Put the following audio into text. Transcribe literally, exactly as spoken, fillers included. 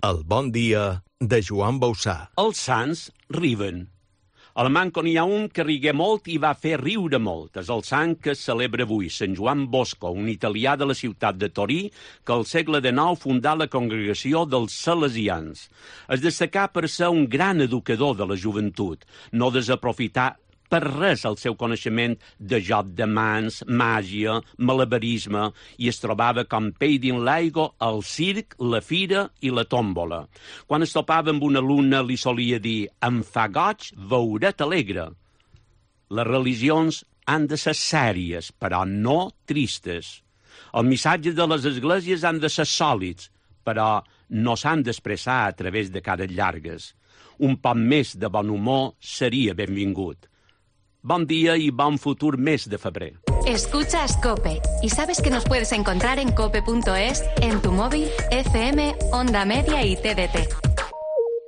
El bon dia de Joan Bausà. Els sants riuen. A la manco n'hi ha un que rigué molt i va fer riure molt. És el sant que es celebra avui, Sant Joan Bosco, un italià de la ciutat de Torí, que al segle dinou fundà la congregació dels Salesians. Es destacà per ser un gran educador de la joventut, no desaprofitar per res el seu coneixement de joc de mans, màgia, malabarisme, i es trobava com pell dins l'aigua al circ, la fira i la tòmbola. Quan es topava amb una alumna li solia dir «Em fa goig veure't alegre». Les religions han de ser sèries, però no tristes. Els missatges de les esglésies han de ser sòlids, però no s'han d'expressar a través de cares llargues. Un poc més de bon humor seria benvingut. Bon día y bon futur mes de febrer. Escuchas COPE y sabes que nos puedes encontrar en cope punto es, en tu móvil, F M, Onda Media y T D T.